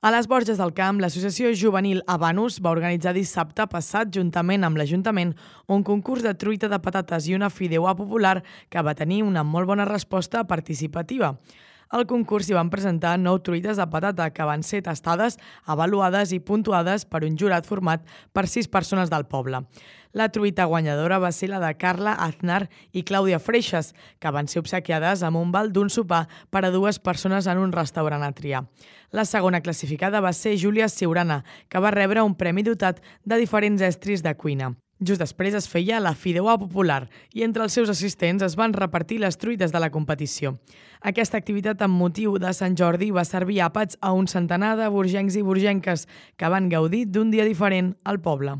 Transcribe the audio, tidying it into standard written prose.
A les Borges del Camp, l'associació juvenil Habanus va organitzar dissabte passat, juntament amb l'Ajuntament, un concurs de truita de patates i una fideuà popular que va tenir una molt bona resposta participativa. Al concurs s'hi van presentar 9 truites de patata que van ser tastades, avaluades i puntuades per un jurat format per 6 persones del poble. La truita guanyadora va ser la de Carla Aznar i Clàudia Freixas, que van ser obsequiades amb un val d'un sopar per a 2 persones en un restaurant a triar. La segona classificada va ser Júlia Siurana, que va rebre un premi dotat de diferents estris de cuina. Just després es feia la fideuà popular i entre els seus assistents es van repartir les truites de la competició. Aquesta activitat amb motiu de Sant Jordi va servir àpats a un centenar de borgencs i borgenques que van gaudir d'un dia diferent al poble.